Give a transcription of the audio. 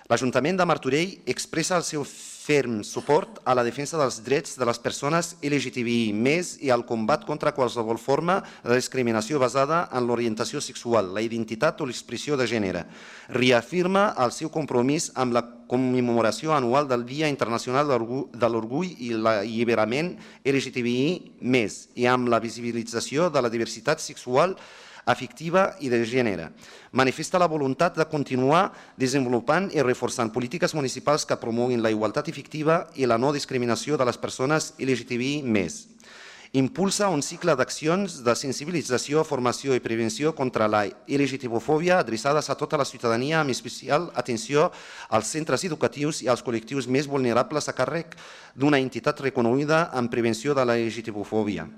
L'Ajuntament de Martorell expressa el seu ferm suport a la defensa dels drets de les persones LGTBI+, i al combat contra qualsevol forma de discriminació basada en l'orientació sexual, la identitat o l'expressió de gènere. Reafirma el seu compromís amb la commemoració anual del Dia Internacional de l'Orgull i l'Alliberament LGTBI+, i amb la visibilització de la diversitat sexual, afectiva i de gènere. Manifesta la voluntat de continuar desenvolupant i reforçant polítiques municipals que promoguin la igualtat efectiva i la no discriminació de les persones LGTBI+. Impulsa un cicle d'accions de sensibilització, formació i prevenció contra la LGTBofòbia adreçades a tota la ciutadania, amb especial atenció als centres educatius i als col·lectius més vulnerables a càrrec d'una entitat reconeguda en prevenció de la LGTBofòbia.